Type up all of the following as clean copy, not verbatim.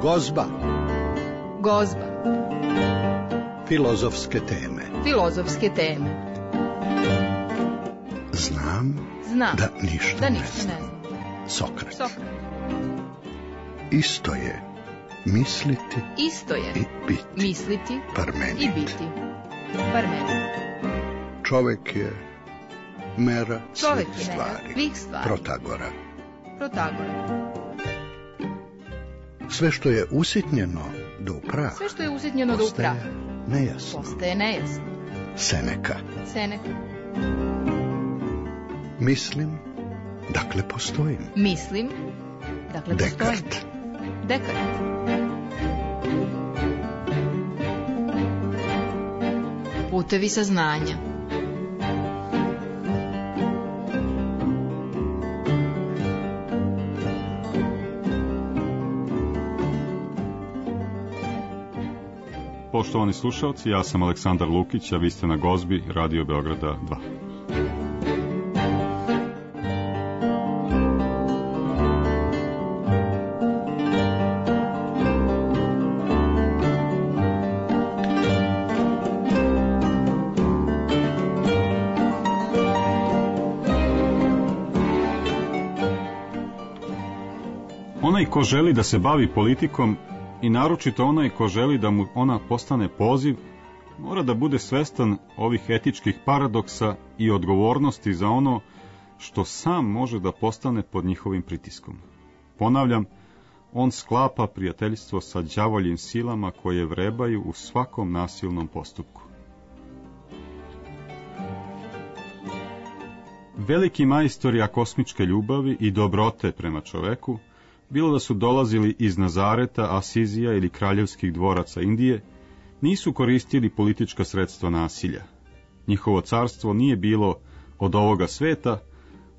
Gozba. Gozba. Filozofske teme. Filozofske teme. Znam da ništa ne znam. Sokrat. Isto je misliti i biti. Misliti Parmenid. i biti. Parmenid. Čovjek je mera Čovjek svih je mera svih stvari. Protagora. Sve što je usitnjeno do praha. Sve što je usitnjeno do praha. Postaje nejasno. Seneka. Mislim, dakle postojim. Descartes. Putevi saznanja. Poštovani slušalci, ja sam Aleksandar Lukić, a vi ste na Gozbi, Radio Beograda 2. Onaj ko želi da se bavi politikom, i naročito onaj ko želi da mu ona postane poziv, mora da bude svestan ovih etičkih paradoksa i odgovornosti za ono što sam može da postane pod njihovim pritiskom. Ponavljam, on sklapa prijateljstvo sa đavoljim silama koje vrebaju u svakom nasilnom postupku. Veliki majstori akosmičke ljubavi i dobrote prema čoveku, bilo da su dolazili iz Nazareta, Asizija ili kraljevskih dvoraca Indije, nisu koristili politička sredstva nasilja. Njihovo carstvo nije bilo od ovoga sveta,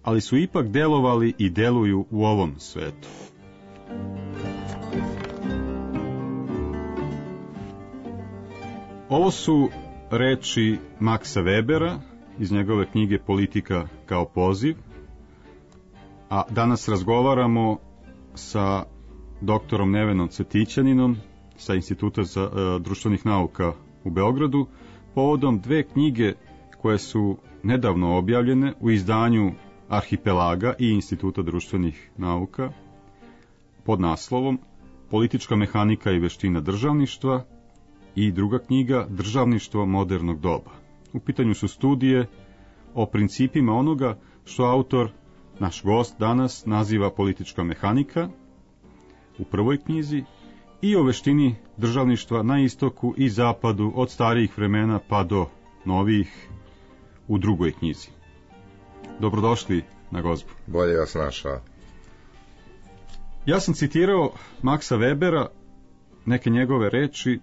ali su ipak delovali i deluju u ovom svetu. Ovo su reči Maxa Webera iz njegove knjige Politika kao poziv, a danas razgovaramo sa doktorom Nevenom Cvetićaninom sa Instituta za društvenih nauka u Beogradu povodom dve knjige koje su nedavno objavljene u izdanju Arhipelaga i Instituta društvenih nauka pod naslovom Politička mehanika i veština državništva i druga knjiga Državništvo modernog doba. U pitanju su studije o principima onoga što autor, naš gost danas, naziva politička mehanika u prvoj knjizi i o veštini državništva na istoku i zapadu od starijih vremena pa do novijih u drugoj knjizi. Dobrodošli na Gozbu. Bolje vas našao. Ja sam citirao Maxa Webera, neke njegove reči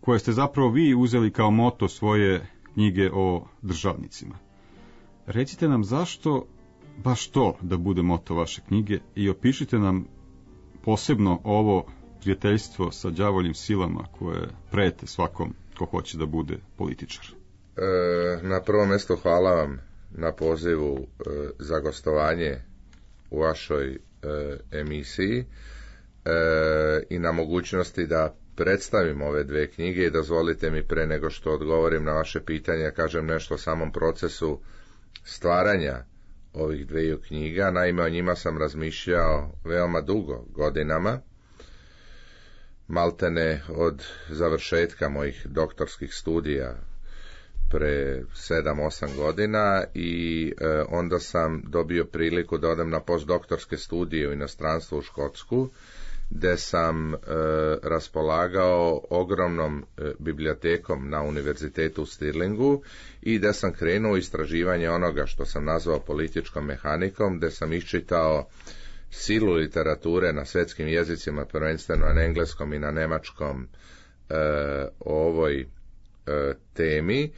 koje ste zapravo vi uzeli kao moto svoje knjige o državnicima. Recite nam zašto baš to da bude moto vaše knjige i opišite nam posebno ovo prijateljstvo sa đavoljim silama koje prete svakom ko hoće da bude političar. Na prvom mjestu hvala vam na pozivu za gostovanje u vašoj emisiji i na mogućnosti da predstavim ove dve knjige i dozvolite mi pre nego što odgovorim na vaše pitanje kažem nešto o samom procesu stvaranja ovih dveju knjiga. Naime, o njima sam razmišljao veoma dugo, godinama, maltene od završetka mojih doktorskih studija pre 7-8 godina i onda sam dobio priliku da odem na postdoktorske studije u inostranstvu u Škotsku, gde sam raspolagao ogromnom bibliotekom na univerzitetu u Stirlingu i gde sam krenuo u istraživanje onoga što sam nazvao političkom mehanikom, gde sam iščitao silu literature na svetskim jezicima, prvenstveno na engleskom i na nemačkom o ovoj temi,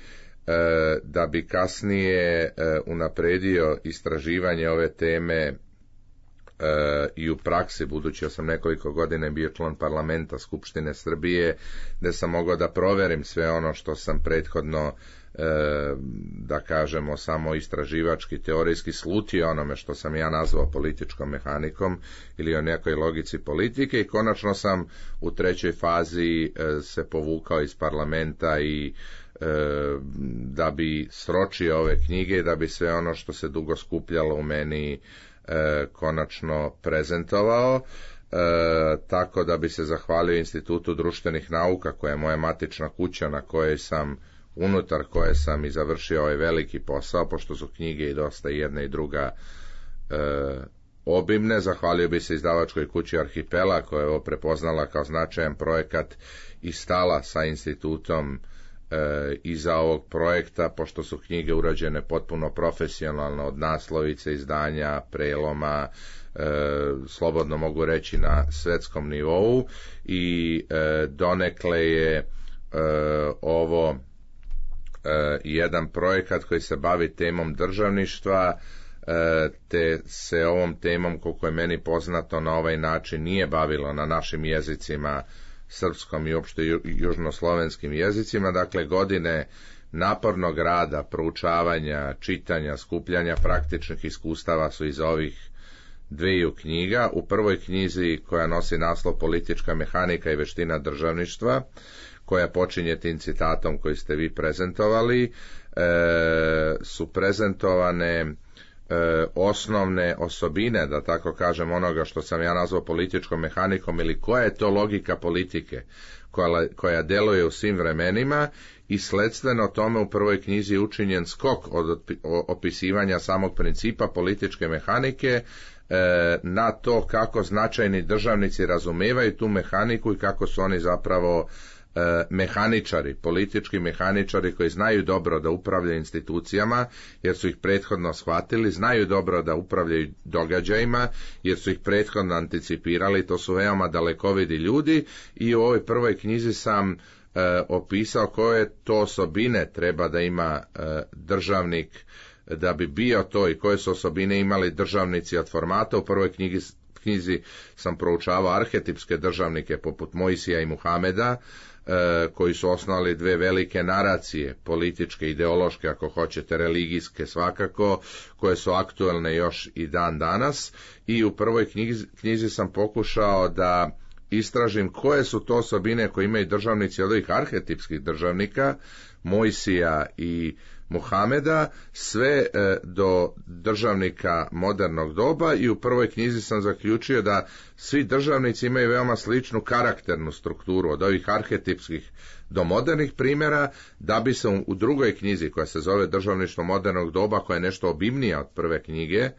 da bi kasnije unapredio istraživanje ove teme i u praksi, budući da sam nekoliko godina bio član parlamenta Skupštine Srbije, gde sam mogao da proverim sve ono što sam prethodno da kažemo samo istraživački, teorijski slutio onome što sam ja nazvao političkom mehanikom ili o nekoj logici politike i konačno sam u trećoj fazi se povukao iz parlamenta i da bi sročio ove knjige, da bi sve ono što se dugo skupljalo u meni konačno prezentovao. Tako da bi se zahvalio Institutu društvenih nauka, koja je moja matična kuća na kojoj sam, unutar koje sam i završio ovaj veliki posao, pošto su knjige i dosta jedna i druga obimne. Zahvalio bi se izdavačkoj kući Arhipela, koja je ovo prepoznala kao značajan projekat i stala sa institutom iza ovog projekta, pošto su knjige urađene potpuno profesionalno, od naslovice, izdanja, preloma, slobodno mogu reći na svetskom nivou i donekle je ovo jedan projekat koji se bavi temom državništva, te se ovom temom, koliko je meni poznato, na ovaj način nije bavilo na našim jezicima, srpskom i uopšte južnoslovenskim jezicima. Dakle, godine napornog rada, proučavanja, čitanja, skupljanja praktičnih iskustava su iz ovih dviju knjiga. U prvoj knjizi, koja nosi naslov Politička mehanika i veština državništva, koja počinje tim citatom koji ste vi prezentovali, su prezentovane osnovne osobine, da tako kažem, onoga što sam ja nazvao političkom mehanikom, ili koja je to logika politike koja deluje u svim vremenima, i sledstveno tome u prvoj knjizi je učinjen skok od opisivanja samog principa političke mehanike na to kako značajni državnici razumevaju tu mehaniku i kako su oni zapravo mehaničari, politički mehaničari koji znaju dobro da upravljaju institucijama jer su ih prethodno shvatili, znaju dobro da upravljaju događajima jer su ih prethodno anticipirali, to su veoma dalekovidi ljudi. I u ovoj prvoj knjizi sam opisao koje to osobine treba da ima državnik da bi bio to i koje su osobine imali državnici od formata. U prvoj knjizi sam proučavao arhetipske državnike poput Mojsija i Muhameda, koji su osnovali dve velike naracije, političke, ideološke, ako hoćete, religijske svakako, koje su aktuelne još i dan danas. I u prvoj knjizi sam pokušao da istražim koje su to osobine koje imaju državnici od ovih arhetipskih državnika, Mojsija i Muhameda, sve do državnika modernog doba, i u prvoj knjizi sam zaključio da svi državnici imaju veoma sličnu karakternu strukturu od ovih arhetipskih do modernih primjera, da bi se u drugoj knjizi, koja se zove Državništvo modernog doba, koja je nešto obimnija od prve knjige,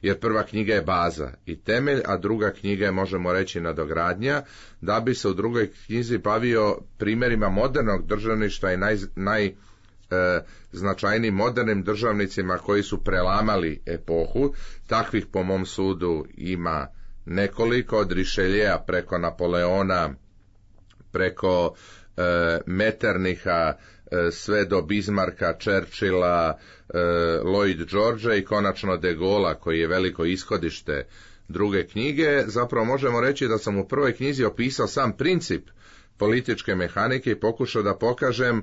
jer prva knjiga je baza i temelj, a druga knjiga je, možemo reći, nadogradnja, da bi se u drugoj knjizi bavio primjerima modernog državništva i značajnijim modernim državnicima koji su prelamali epohu. Takvih, po mom sudu, ima nekoliko, od Richelieua preko Napoleona, preko Metternicha, sve do Bismarcka, Churchilla, Lloyd Georgea i konačno de Gaulle'a, koji je veliko ishodište druge knjige. Zapravo možemo reći da sam u prvoj knjizi opisao sam princip političke mehanike i pokušao da pokažem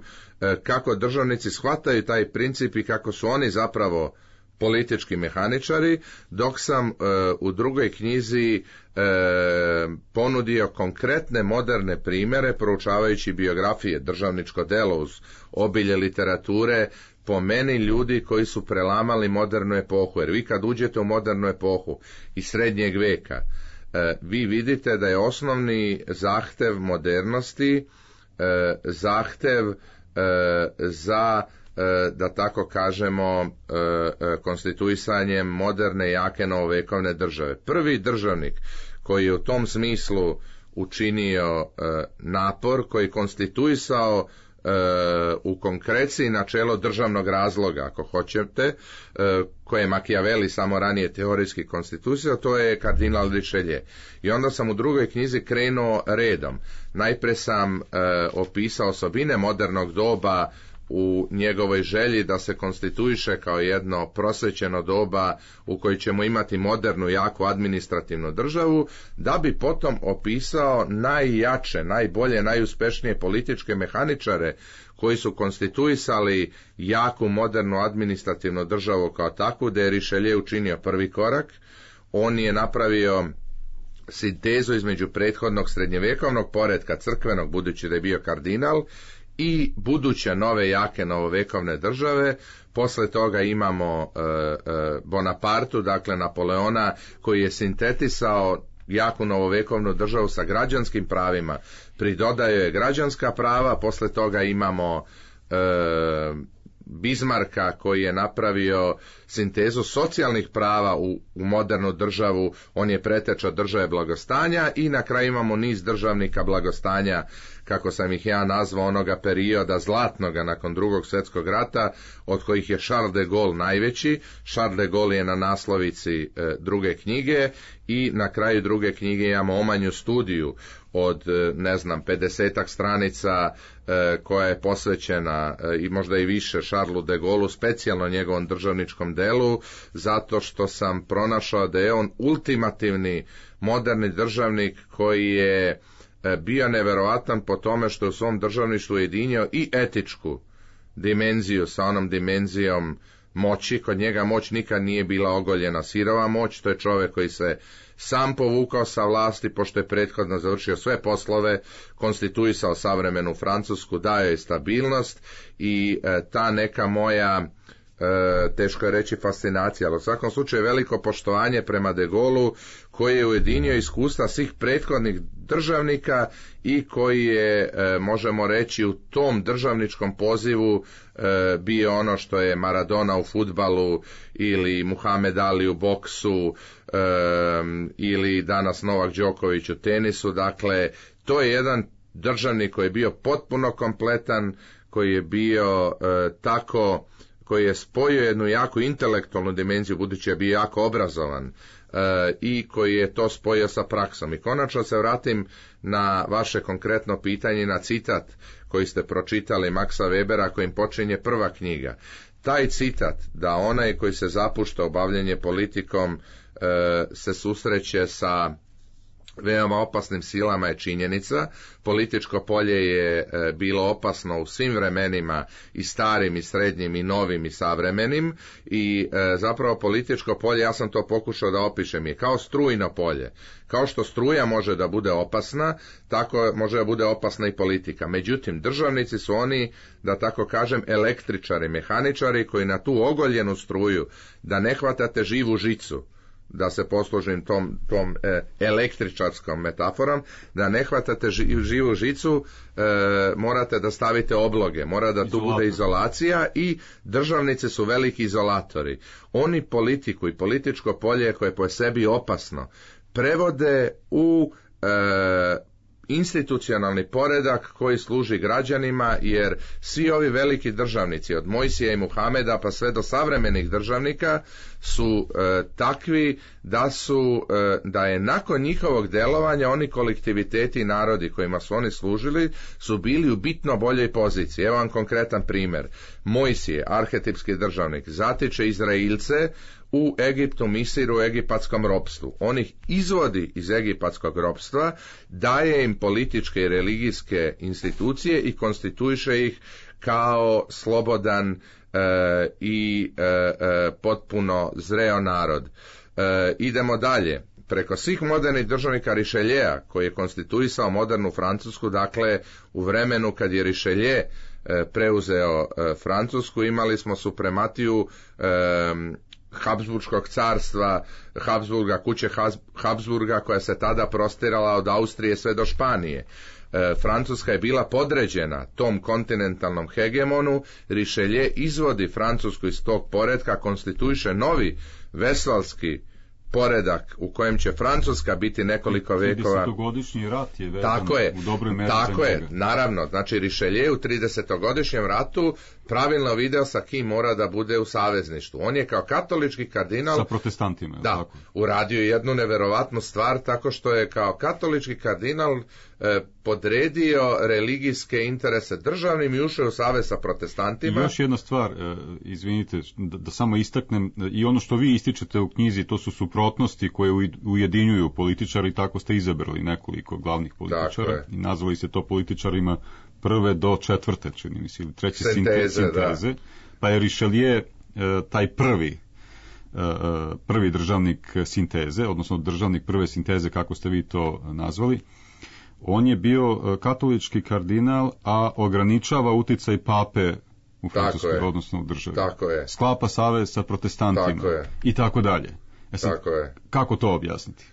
kako državnici shvataju taj princip i kako su oni zapravo politički mehaničari, dok sam u drugoj knjizi ponudio konkretne moderne primjere, proučavajući biografije, državničko delo uz obilje literature, po meni ljudi koji su prelamali modernu epohu. Jer vi kad uđete u modernu epohu iz srednjeg veka, vi vidite da je osnovni zahtev modernosti zahtev za, da tako kažemo, konstituisanjem moderne, jake, novovekovne države. Prvi državnik koji je u tom smislu učinio napor, koji je konstituisao u konkreciji načelo državnog razloga, ako hoćete, koje je Machiavelli samo ranije teorijski konstituisao, to je kardinal Richelieu. I onda sam u drugoj knjizi krenuo redom. Najpre sam opisao osobine modernog doba u njegovoj želji da se konstituiše kao jedno prosvećeno doba u kojoj ćemo imati modernu, jaku administrativnu državu, da bi potom opisao najjače, najbolje, najuspešnije političke mehaničare koji su konstituisali jaku, modernu administrativnu državu kao takvu, da je Richelieu učinio prvi korak. On je napravio sintezu između prethodnog srednjevjekovnog poretka crkvenog, budući da je bio kardinal, i buduće nove jake novovekovne države. Posle toga imamo Bonapartu, dakle Napoleona, koji je sintetisao jaku novovekovnu državu sa građanskim pravima, pridodaju je građanska prava. Posle toga imamo Bismarcka, koji je napravio sintezu socijalnih prava u modernu državu. On je preteča države blagostanja, i na kraju imamo niz državnika blagostanja, kako sam ih ja nazvao, onoga perioda zlatnoga nakon Drugog svjetskog rata, od kojih je Charles de Gaulle najveći. Charles de Gaulle je na naslovici druge knjige, i na kraju druge knjige imamo omanju studiju od 50-ak stranica koja je posvećena i možda i više Charlesu de Gaullu, specijalno njegovom državničkom delu, zato što sam pronašao da je on ultimativni moderni državnik koji je bio neverovatan po tome što je u svom državništvu ujedinio i etičku dimenziju sa onom dimenzijom moći. Kod njega moć nikad nije bila ogoljena sirova moć, to je čovjek koji se sam povukao sa vlasti, pošto je prethodno završio sve poslove, konstituisao savremenu Francusku, dao je stabilnost, i ta neka moja, teško je reći fascinacija, ali u svakom slučaju veliko poštovanje prema de Gaullu, koji je ujedinio iskustva svih prethodnih državnika i koji je, možemo reći, u tom državničkom pozivu bio ono što je Maradona u fudbalu, ili Muhammed Ali u boksu, ili danas Novak Đoković u tenisu. Dakle, to je jedan državnik koji je bio potpuno kompletan, koji je bio koji je spojio jednu jaku intelektualnu dimenziju, budući je bio jako obrazovan, i koji je to spojio sa praksom. I konačno se vratim na vaše konkretno pitanje, na citat koji ste pročitali Maxa Webera, kojim počinje prva knjiga. Taj citat, da onaj koji se zapušta u bavljenje politikom se susreće sa veoma opasnim silama, je činjenica. Političko polje je bilo opasno u svim vremenima, i starim, i srednjim, i novim, i savremenim, i zapravo političko polje, ja sam to pokušao da opišem, je kao strujno polje. Kao što struja može da bude opasna, tako može da bude opasna i politika. Međutim, državnici su oni, da tako kažem, električari, mehaničari, koji na tu ogoljenu struju, da ne hvatate živu žicu, da se poslužim tom električarskom metaforom, da ne hvatate živu žicu, morate da stavite obloge, mora da tu bude izolacija, i državnici su veliki izolatori. Oni politiku i političko polje, koje je po sebi opasno, prevode u institucionalni poredak koji služi građanima, jer svi ovi veliki državnici, od Mojsija i Muhameda pa sve do savremenih državnika, su takvi da je nakon njihovog delovanja oni kolektiviteti i narodi kojima su oni služili su bili u bitno boljoj poziciji. Evo vam konkretan primjer. Mojsije, arhetipski državnik, zatiče Izraelce u Egiptu, Misiru, u egipatskom ropstvu. On ih izvodi iz egipatskog ropstva, daje im političke i religijske institucije i konstituiše ih kao slobodan i potpuno zreo narod. Idemo dalje. Preko svih modernih državnika Richelieu, koji je konstituisao modernu Francusku, dakle u vremenu kad je Richelieu preuzeo Francusku, imali smo suprematiju Habsburškog carstva, Habsburga, kuće Habsburga, koja se tada prostirala od Austrije sve do Španije. Francuska je bila podređena tom kontinentalnom hegemonu. Richelieu izvodi Francusku iz tog poretka, konstituiše novi vesvalski poredak u kojem će Francuska biti nekoliko vekova. 30-godišnji rat je vezan u dobroj meri. Tako je, naravno. Znači Richelieu u 30-godišnjem ratu pravilno video sa kim mora da bude u savezništvu. On je kao katolički kardinal sa protestantima, da, tako? Uradio jednu neverovatnu stvar tako što je kao katolički kardinal podredio religijske interese državnim i ušao u savez sa protestantima. I još jedna stvar, izvinite, da samo istaknem, i ono što vi ističete u knjizi, to su suprotnosti koje ujedinjuju političari, tako ste izabrali nekoliko glavnih političara i nazvali se to političarima prve do četvrte, čini mi se, ili treće sinteze. Da. Pa je Richelieu taj prvi državnik sinteze, odnosno državnik prve sinteze, kako ste vi to nazvali. On je bio katolički kardinal, a ograničava uticaj pape u Francuskoj, odnosno u državi. Tako je. Sklapa savez sa protestantima i tako dalje. Tako je. Kako to objasniti?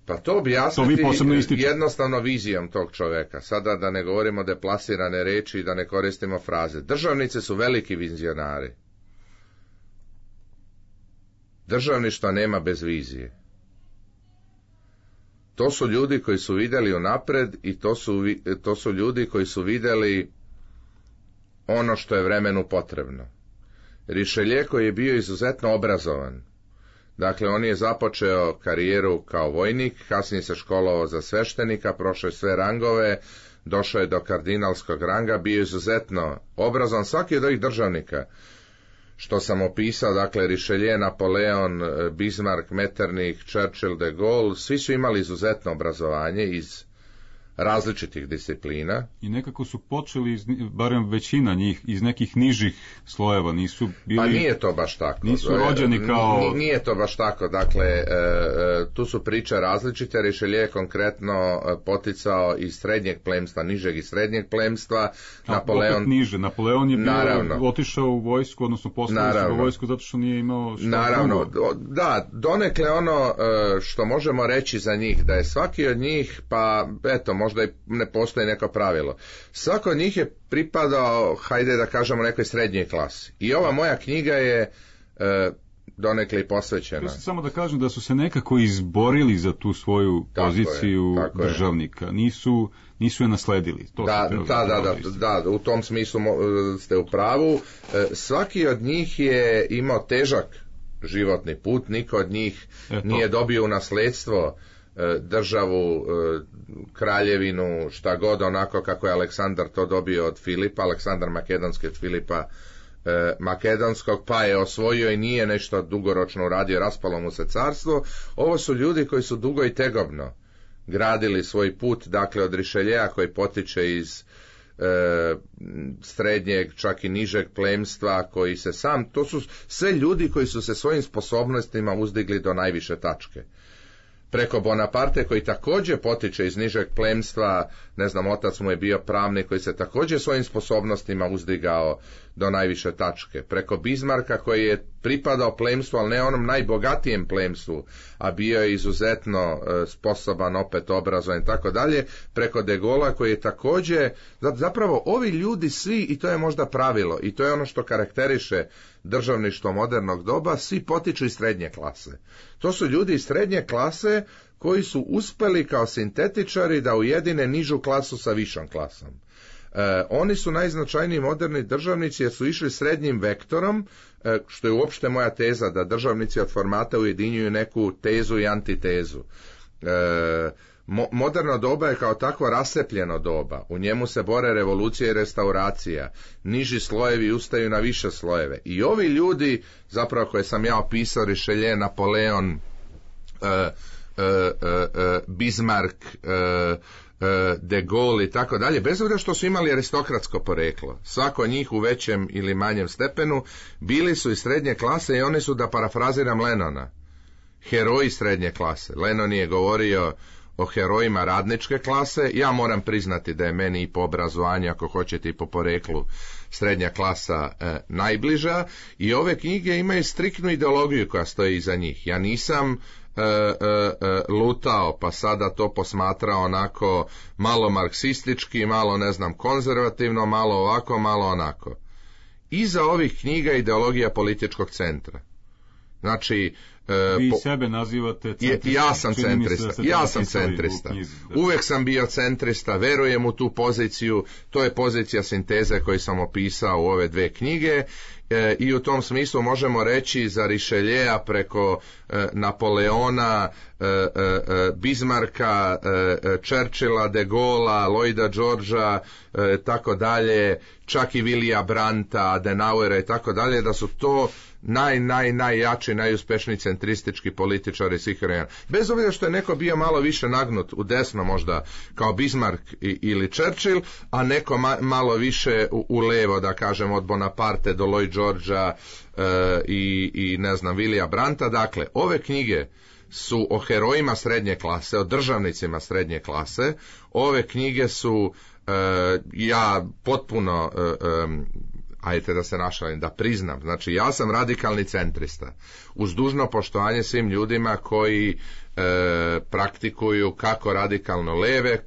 Pa to objasniti jednostavno vizijom tog čoveka. Sada da ne govorimo deplasirane reči i da ne koristimo fraze. Državnice su veliki vizionari. Državništva nema bez vizije. To su ljudi koji su vidjeli unapred i to su ljudi koji su vidjeli ono što je vremenu potrebno. Richelieu koji je bio izuzetno obrazovan. Dakle, on je započeo karijeru kao vojnik, kasnije se školovao za sveštenika, prošao je sve rangove, došao je do kardinalskog ranga, bio je izuzetno obrazovan. Svaki od ovih državnika što sam opisao, dakle Richelieu, Napoleon, Bismarck, Metternich, Churchill, de Gaulle, svi su imali izuzetno obrazovanje iz različitih disciplina. I nekako su počeli, barem većina njih, iz nekih nižih slojeva, nisu bili... Pa nije to baš tako. Nisu rođeni kao... Nije to baš tako, dakle, tu su priče različite. Richelieu je konkretno poticao iz srednjeg plemstva, nižeg i srednjeg plemstva. Opet niže. Napoleon je bio otišao u vojsku, odnosno poslao u vojsku zato što nije imao šta. Naravno, da, donekle ono što možemo reći za njih, da je svaki od njih, pa eto, možda i ne postoji neko pravilo. Svako od njih je pripadao, hajde da kažemo, nekoj srednjoj klasi. I ova moja knjiga je donekle i posvećena. Samo da kažem da su se nekako izborili za tu svoju poziciju državnika. Nisu je nasledili. To da, u tom smislu ste u pravu. Svaki od njih je imao težak životni put, niko od njih nije dobio u nasledstvo državu, kraljevinu, šta god, onako kako je Aleksandar to dobio od Filipa, Aleksandar Makedonski od Filipa Makedonskog, pa je osvojio i nije nešto dugoročno uradio, raspalo mu se carstvo. Ovo su ljudi koji su dugo i tegobno gradili svoj put, dakle od Richelieua koji potiče iz srednjeg, čak i nižeg plemstva, koji se to su sve ljudi koji su se svojim sposobnostima uzdigli do najviše tačke. Preko Bonaparte koji također potiče iz nižeg plemstva, ne znam, otac mu je bio pravnik koji se također svojim sposobnostima uzdigao do najviše tačke. Preko Bismarcka koji je pripadao plemstvu, ali ne onom najbogatijem plemstvu, a bio je izuzetno sposoban, opet obrazovan i tako dalje. Preko de Gaulle'a koji je također, zapravo ovi ljudi svi, i to je možda pravilo, i to je ono što karakteriše državništvo modernog doba, svi potiču iz srednje klase. To su ljudi iz srednje klase koji su uspjeli kao sintetičari da ujedine nižu klasu sa višom klasom. Oni su najznačajniji moderni državnici jer su išli srednjim vektorom, što je uopšte moja teza da državnici od formata ujedinjuju neku tezu i antitezu. Moderno doba je kao takvo rasepljeno doba. U njemu se bore revolucija i restauracija. Niži slojevi ustaju na više slojeve. I ovi ljudi, zapravo koje sam ja opisao, Richelieu, Napoleon, Bismarck, de Gaulle i tako dalje, bez obzira što su imali aristokratsko poreklo, svako od njih u većem ili manjem stepenu, bili su iz srednje klase i oni su, da parafraziram Lennona, heroji srednje klase. Lennon je govorio o herojima radničke klase. Ja moram priznati da je meni i po obrazovanju, ako hoćete i po poreklu, srednja klasa najbliža, i ove knjige imaju striktnu ideologiju koja stoji iza njih. Ja nisam lutao pa sada to posmatrao onako malo marksistički, malo ne znam konzervativno, malo ovako, malo onako. Iza ovih knjiga je ideologija političkog centra. Znači, vi sebe nazivate centrista. Ja sam centrista. Uvijek sam bio centrista, verujem u tu poziciju, to je pozicija sinteze koju sam opisao u ove dve knjige. I u tom smislu možemo reći za Richelieua preko Napoleona, Bismarcka, Churchilla, De Gaulea, Lloyda Georgea, tako dalje, čak i Willya Brandta, Adenauera i tako dalje, da su to najjači, najuspješniji centristički političari svih vremena. Bez obzira što je neko bio malo više nagnut u desno možda kao Bismarck ili Churchill, a neko malo više u levo, da kažem, od Bonaparte do Lloyd Georgea i ne znam, Willya Brandta. Dakle, ove knjige su o herojima srednje klase, o državnicima srednje klase. Ove knjige su ja potpuno ajte da se našalim, da priznam, znači ja sam radikalni centrista, uz dužno poštovanje svim ljudima koji praktikuju kako radikalno leve,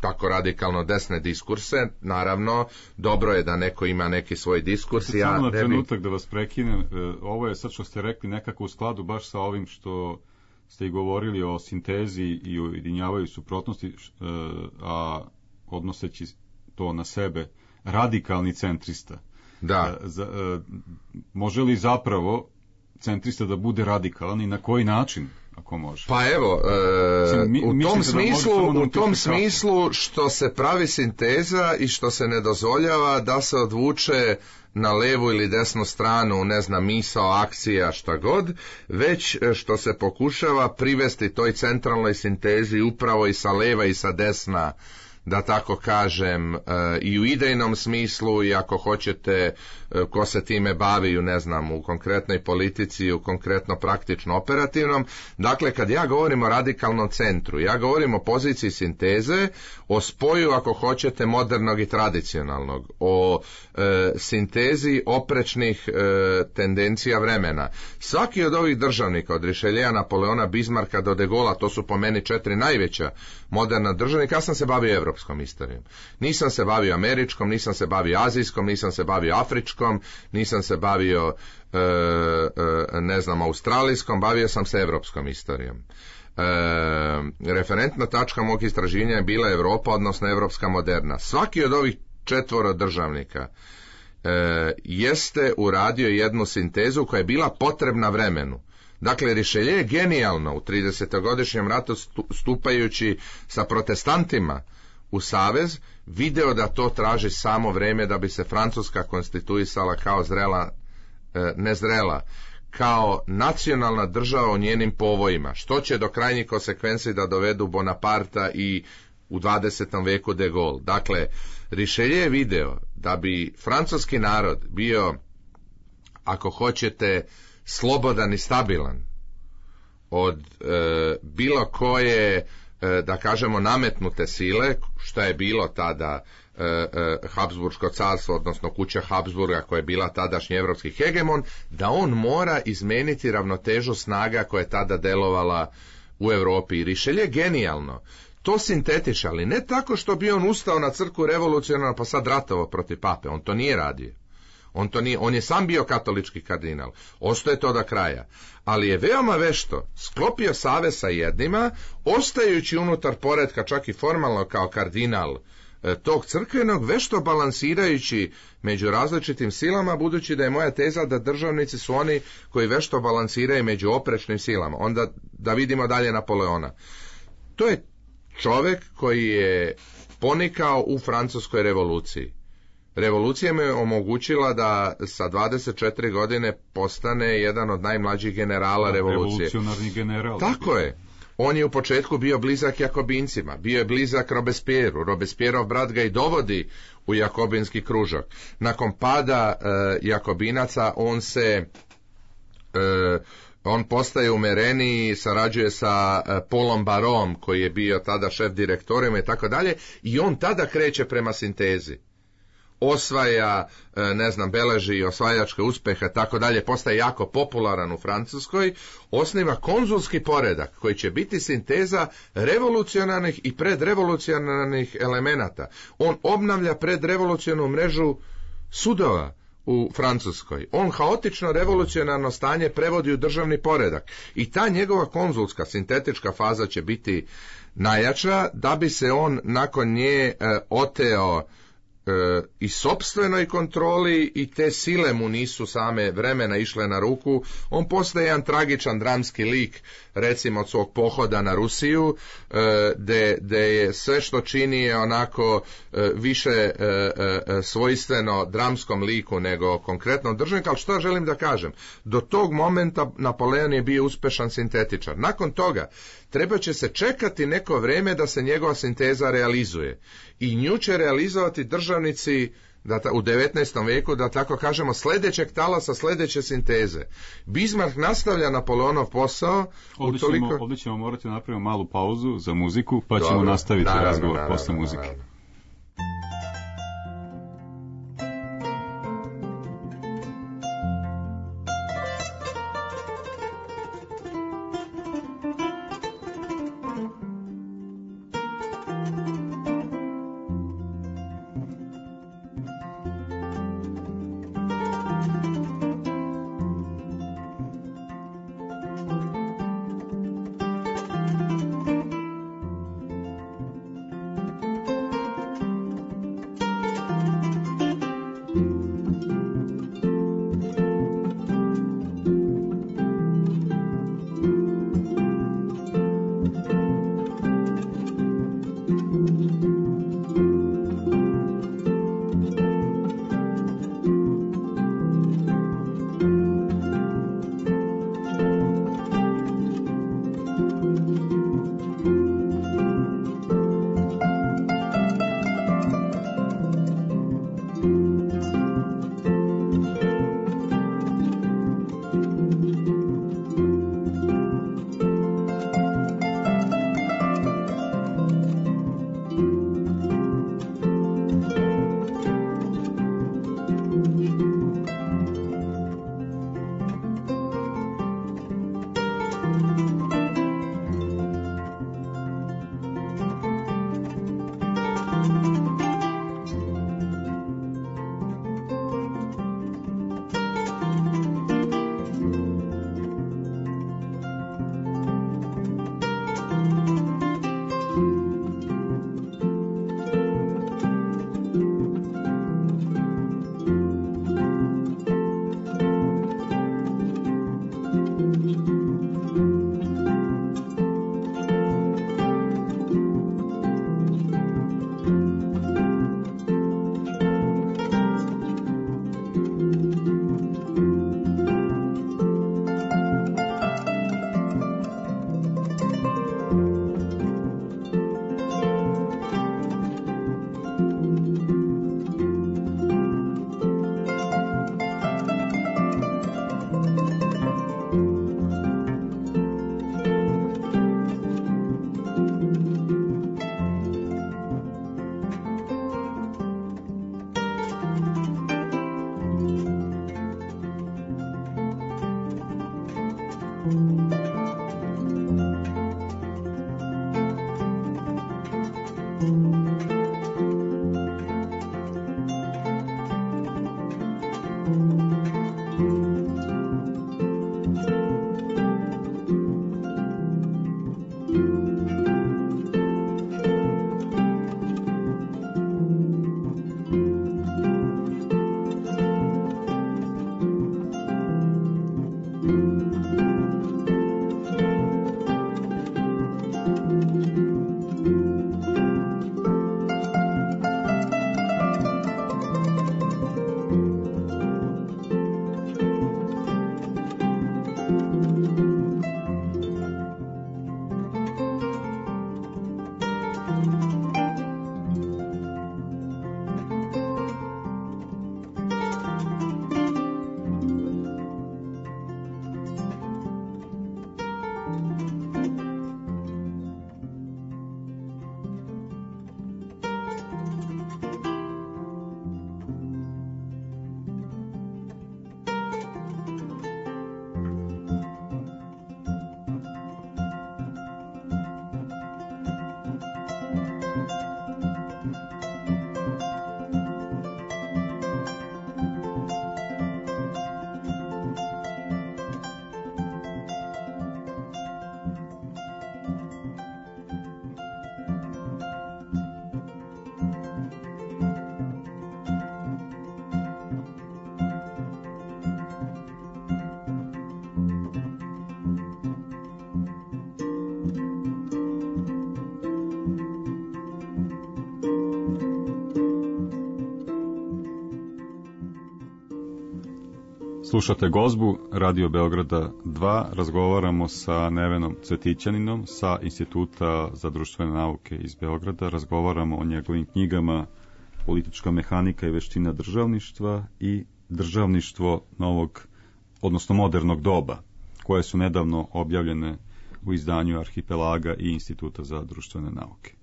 tako radikalno desne diskurse. Naravno, dobro je da neko ima neki svoj diskurs. Samo na trenutak da vas prekinem, ovo je sad što ste rekli nekako u skladu baš sa ovim što ste i govorili o sintezi i ujedinjavaju suprotnosti, a odnoseći to na sebe, radikalni centrista. Da. Može li zapravo centrista da bude radikalan i na koji način, ako može? Pa evo, u tom smislu što se pravi sinteza i što se ne dozvoljava da se odvuče na levu ili desnu stranu, ne znam, misao, akcija, šta god, već što se pokušava privesti toj centralnoj sintezi upravo i sa leva i sa desna, da tako kažem, i u idejnom smislu, i ako hoćete, ko se time bavi, ne znam, u konkretnoj politici, u konkretno praktično operativnom. Dakle, kad ja govorim o radikalnom centru, ja govorim o poziciji sinteze, o spoju, ako hoćete, modernog i tradicionalnog, o sintezi oprečnih tendencija vremena. Svaki od ovih državnika, od Richelieua, Napoleona, Bismarcka do De Gaulea, to su po meni 4 najveća moderna državnika. Ja sam se bavio evropskom istorijom. Nisam se bavio američkom, nisam se bavio azijskom, nisam se bavio afričkom, nisam se bavio ne znam, australijskom, bavio sam se evropskom istorijom. Referentna tačka mog istraživanja je bila Europa, odnosno evropska moderna. Svaki od ovih 4 državnika jeste uradio jednu sintezu koja je bila potrebna vremenu. Dakle, Richelieu je genijalno u 30-godišnjem ratu stupajući sa protestantima u savez video da to traži samo vreme da bi se Francuska konstituisala kao zrela, nezrela, kao nacionalna država u njenim povojima, što će do krajnjih konsekvenci da dovedu Bonaparta i u 20. veku De Gaulle. Dakle, Richelieu je video da bi francuski narod bio, ako hoćete, slobodan i stabilan od bilo koje, da kažemo, nametnute sile, što je bilo tada Habsburško carstvo, odnosno kuća Habsburga koja je bila tadašnji evropski hegemon, da on mora izmeniti ravnotežu snaga koja je tada delovala u Europi. I Richelieu je genijalno to sintetiše, ali ne tako što bi on ustao na crkvu revolucionarno pa sad ratovao protiv pape. On to nije radio. On je sam bio katolički kardinal, ostaje to do kraja, ali je veoma vešto sklopio savez sa jednima, ostajući unutar poretka čak i formalno kao kardinal tog crkvenog, vešto balansirajući među različitim silama, budući da je moja teza da državnici su oni koji vešto balansiraju među oprečnim silama. Onda da vidimo dalje Napoleona. To je čovjek koji je ponikao u Francuskoj revoluciji. Revolucija mu je omogućila da sa 24 godine postane jedan od najmlađih generala revolucije. Revolucionarni general. Tako je. On je u početku bio blizak Jakobincima, bio je blizak Robespierru. Robespierrov brat ga i dovodi u jakobinski kružok. Nakon pada Jakobinaca on postaje umereniji, sarađuje sa Paulom Barom, koji je bio tada šef direktorima i tako dalje, i on tada kreće prema sintezi. Osvaja, ne znam, beleži osvajačke uspehe, tako dalje, postaje jako popularan u Francuskoj, osniva konzulski poredak koji će biti sinteza revolucionarnih i predrevolucionarnih elemenata. On obnavlja predrevolucionarnu mrežu sudova u Francuskoj. On haotično revolucionarno stanje prevodi u državni poredak i ta njegova konzulska sintetička faza će biti najjača, da bi se on nakon nje oteo i sopstvenoj kontroli, i te sile mu nisu same vremena išle na ruku. On postaje jedan dramski lik, recimo od svog pohoda na Rusiju, gde je sve što čini je onako više svojstveno dramskom liku nego konkretnom državniku. Ali što želim da kažem, do tog momenta Napoleon je bio uspešan sintetičar. Nakon toga treba će se čekati neko vreme da se njegova sinteza realizuje, i nju će realizovati državnici u 19. veku, da tako kažemo, sljedećeg talasa, sljedeće sinteze. Bismarck nastavlja Napoleonov posao. Ovdje ćemo morati napraviti malu pauzu za muziku, pa ćemo nastaviti razgovor posle muzike. Naravno. Slušate Gozbu, Radio Beograda 2, razgovaramo sa Nevenom Cvetićaninom sa Instituta za društvene nauke iz Beograda, razgovaramo o njegovim knjigama Politička mehanika i veština državništva i Državništvo novog, odnosno modernog doba, koje su nedavno objavljene u izdanju Arhipelaga i Instituta za društvene nauke.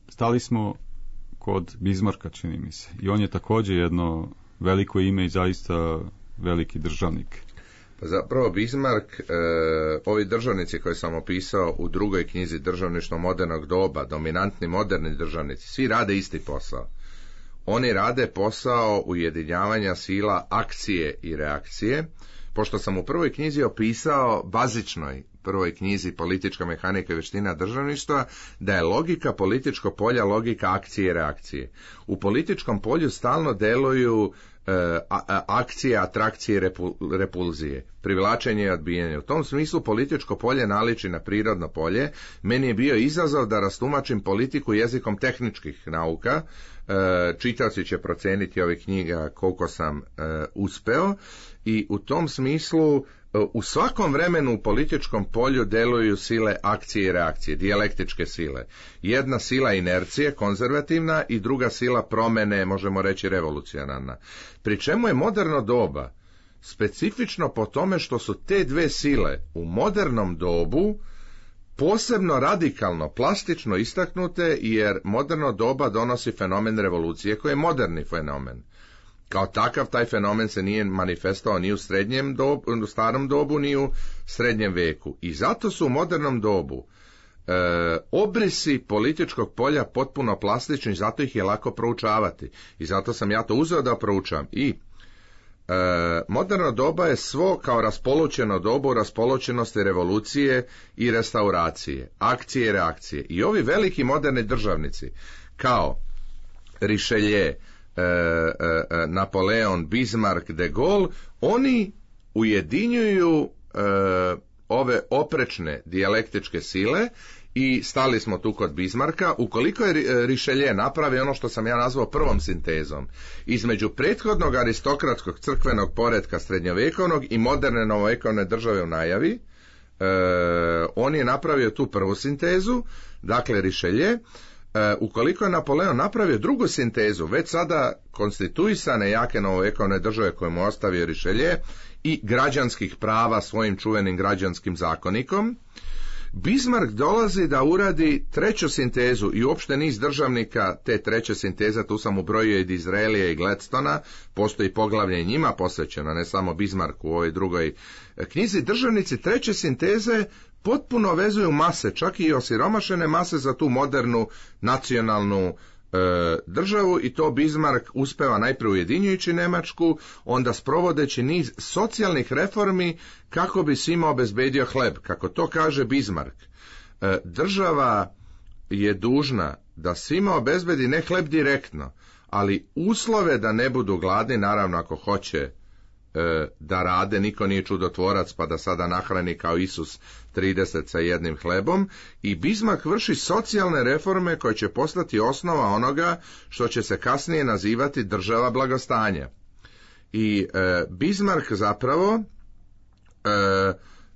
Stali smo kod Bizmarka, čini mi se, i on je također jedno veliko ime i zaista veliki državnik. Zapravo Bismarck, ovi državnici koje sam opisao u drugoj knjizi Državništvo modernog doba, dominantni moderni državnici, svi rade isti posao. Oni rade posao ujedinjavanja sila akcije i reakcije. Pošto sam u prvoj knjizi opisao, bazičnoj prvoj knjizi Politička mehanika i veština državništva, da je logika političkog polja logika akcije i reakcije. U političkom polju stalno deluju akcije, atrakcije i repulzije, privlačenje i odbijanje. U tom smislu političko polje naliči na prirodno polje. Meni je bio izazov da rastumačim politiku jezikom tehničkih nauka. Čitaoci će proceniti ove knjiga koliko sam uspeo, i u tom smislu u svakom vremenu u političkom polju deluju sile akcije i reakcije, dijalektičke sile. Jedna sila inercije, konzervativna, i druga sila promene, možemo reći revolucionarna. Pri čemu je moderno doba specifično po tome što su te dve sile u modernom dobu posebno radikalno, plastično istaknute, jer moderno doba donosi fenomen revolucije koji je moderni fenomen. Kao takav taj fenomen se nije manifestovao ni u u starom dobu, ni u srednjem veku. I zato su u modernom dobu obrisi političkog polja potpuno plastični, zato ih je lako proučavati. I zato sam ja to uzeo da proučavam. I moderno doba je svo kao raspoločeno dobu raspoločenosti revolucije i restauracije, akcije i reakcije. I ovi veliki moderni državnici kao Richelieu, Napoleon, Bismarck, de Gaulle, oni ujedinjuju ove oprečne dijalektičke sile. I stali smo tu kod Bismarcka. Ukoliko je Richelieu napravi ono što sam ja nazvao prvom sintezom između prethodnog aristokratskog crkvenog poretka srednjovekovnog i moderne novovekovne države u najavi, on je napravio tu prvu sintezu, dakle Richelieu. Ukoliko je Napoleon napravio drugu sintezu, već sada konstituisane jake novovekovne države koje mu ostavio Richelieu i građanskih prava svojim čuvenim građanskim zakonikom, Bismarck dolazi da uradi treću sintezu i uopšte niz državnika te treće sinteze, tu sam ubrojio i Disraelija i Gladstona, postoji poglavlje njima posvećeno, ne samo Bismarcku u ovoj drugoj knjizi. Državnici treće sinteze potpuno vezuju mase, čak i osiromašene mase za tu modernu nacionalnu državu, i to Bismarck uspeva najprije ujedinjujući Njemačku, onda sprovodeći niz socijalnih reformi kako bi svima obezbedio hleb. Kako to kaže Bismarck, država je dužna da svima obezbedi ne hleb direktno, ali uslove da ne budu gladni, naravno ako hoće da rade, niko nije čudotvorac pa da sada nahrani kao Isus 30 sa jednim hlebom. I Bismarck vrši socijalne reforme koje će postati osnova onoga što će se kasnije nazivati država blagostanja. I Bismarck zapravo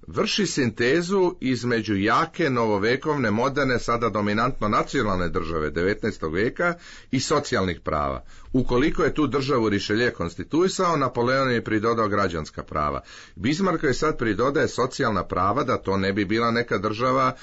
vrši sintezu između jake, novovekovne, moderne, sada dominantno nacionalne države 19. veka i socijalnih prava. Ukoliko je tu državu Richelieu konstituisao, Napoleon je pridodao građanska prava. Bismarck je sad pridodaje socijalna prava, da to ne bi bila neka država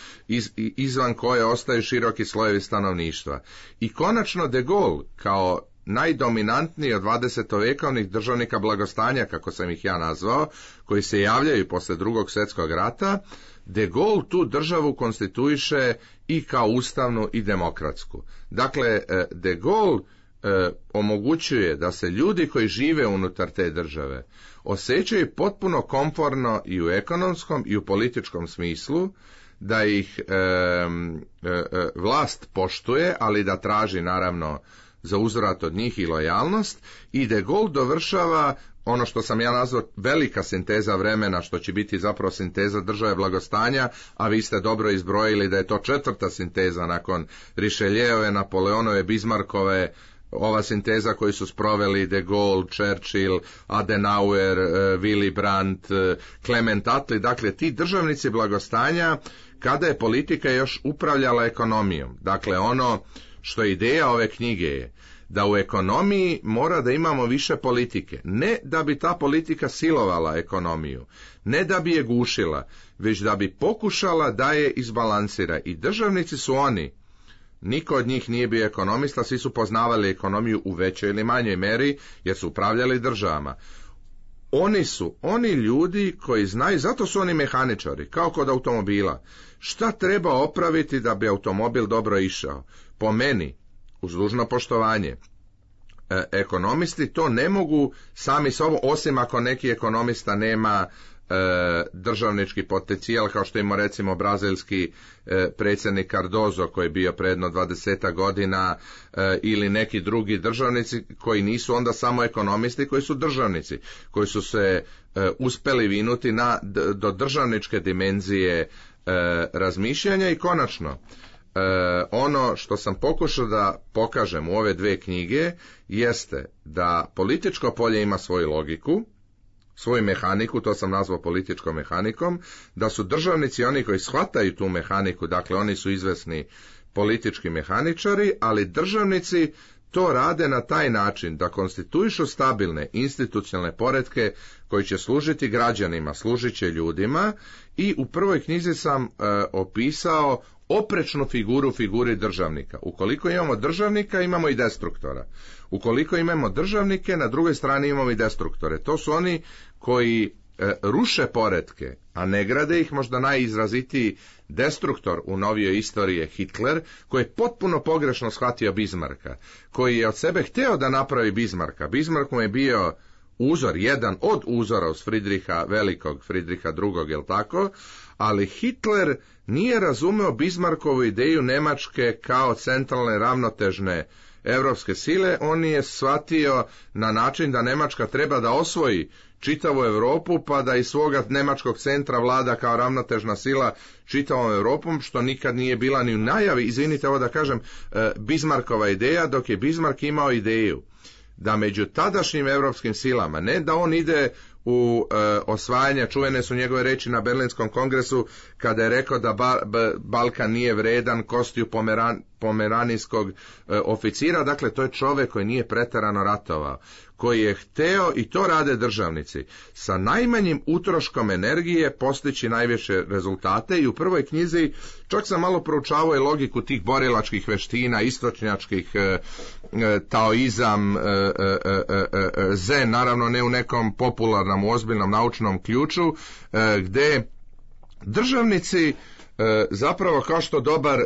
izvan koje ostaju široki slojevi stanovništva. I konačno de Gaulle, kao najdominantniji od 20-vekovnih državnika blagostanja, kako sam ih ja nazvao, koji se javljaju posle Drugog svjetskog rata, de Gaulle tu državu konstituiše i kao ustavnu i demokratsku. Dakle, de Gaulle omogućuje da se ljudi koji žive unutar te države osjećaju potpuno komforno i u ekonomskom i u političkom smislu, da ih vlast poštuje, ali da traži naravno za uzvrat od njih i lojalnost. I de Gaulle dovršava ono što sam ja nazvao velika sinteza vremena, što će biti zapravo sinteza države blagostanja, a vi ste dobro izbrojili da je to četvrta sinteza nakon Richelieue, Napoleonove, Bismarckove ova sinteza koju su sproveli De Gaulle, Churchill, Adenauer, Willy Brandt, Clement Attlee, dakle ti državnici blagostanja kada je politika još upravljala ekonomijom. Dakle, ono što je ideja ove knjige je da u ekonomiji mora da imamo više politike. Ne da bi ta politika silovala ekonomiju, ne da bi je gušila, već da bi pokušala da je izbalansira. I državnici su oni, niko od njih nije bio ekonomista, svi su poznavali ekonomiju u većoj ili manjoj meri, jer su upravljali državama. Oni su oni ljudi koji znaju, zato su oni mehaničari, kao kod automobila. Šta treba opraviti da bi automobil dobro išao? Po meni, uz dužno poštovanje, ekonomisti to ne mogu sami sobom, osim ako neki ekonomista nema državnički potencijal, kao što ima recimo brazilski predsjednik Cardozo koji je bio predno 20 godina, ili neki drugi državnici koji nisu onda samo ekonomisti, koji su državnici, koji su se uspeli vinuti do državničke dimenzije razmišljanja. I konačno, ono što sam pokušao da pokažem u ove dve knjige jeste da političko polje ima svoju logiku, svoju mehaniku, to sam nazvao političkom mehanikom, da su državnici oni koji shvataju tu mehaniku, dakle oni su izvesni politički mehaničari, ali državnici to rade na taj način da konstituišu stabilne institucionalne poretke koji će služiti građanima, služit će ljudima. I u prvoj knjizi sam opisao oprečnu figuri državnika. Ukoliko imamo državnika, imamo i destruktora. Ukoliko imamo državnike, na drugoj strani imamo i destruktore. To su oni koji ruše poretke, a ne grade ih. Možda najizrazitiji destruktor u novijoj istoriji je Hitler, koji je potpuno pogrešno shvatio Bismarcka, koji je od sebe hteo da napravi Bismarcka. Bismarck mu je bio uzor, jedan od uzora uz Fridriha Velikog, Fridriha II, jel tako? Ali Hitler nije razumeo Bismarckovu ideju Nemačke kao centralne ravnotežne europske sile. On je shvatio na način da Nemačka treba da osvoji čitavu Europu, pa da iz svoga nemačkog centra vlada kao ravnotežna sila čitavom Europom, što nikad nije bila ni u najavi, izvinite ovo da kažem, Bismarckova ideja, dok je Bismarck imao ideju da među tadašnjim europskim silama, ne da on ide u osvajanje, čuvene su njegove reči na Berlinskom kongresu kada je rekao da Balkan nije vredan kostiju pomeranijskog oficira. Dakle, to je čovjek koji nije pretjerano ratovao, koji je hteo, i to rade državnici, sa najmanjim utroškom energije postići najviše rezultate. I u prvoj knjizi čak sam malo proučavao i logiku tih borilačkih veština, istočnjačkih, taoizam, zen, naravno ne u nekom popularnom, ozbiljnom naučnom ključu, gde državnici zapravo, kao što dobar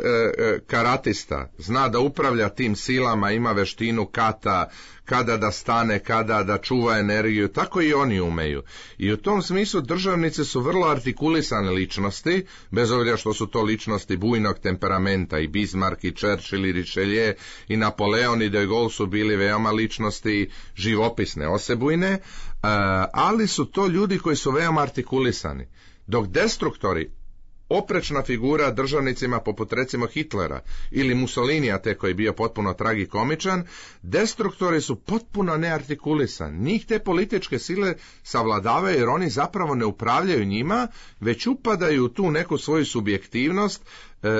karatista zna da upravlja tim silama, ima veštinu kata, kada da stane, kada da čuva energiju, tako i oni umeju. I u tom smislu državnici su vrlo artikulisane ličnosti, bez obzira što su to ličnosti bujnog temperamenta. I Bismarck, i Churchill, i Richelieu, i Napoleon, i De Gaulle su bili veoma ličnosti živopisne, osebujne, ali su to ljudi koji su veoma artikulisani. Dok destruktori, oprečna figura državnicima poput recimo Hitlera ili Mussolinija, te koji je bio potpuno tragikomičan, destruktori su potpuno neartikulisani. Njih te političke sile savladavaju jer oni zapravo ne upravljaju njima, već upadaju u tu neku svoju subjektivnost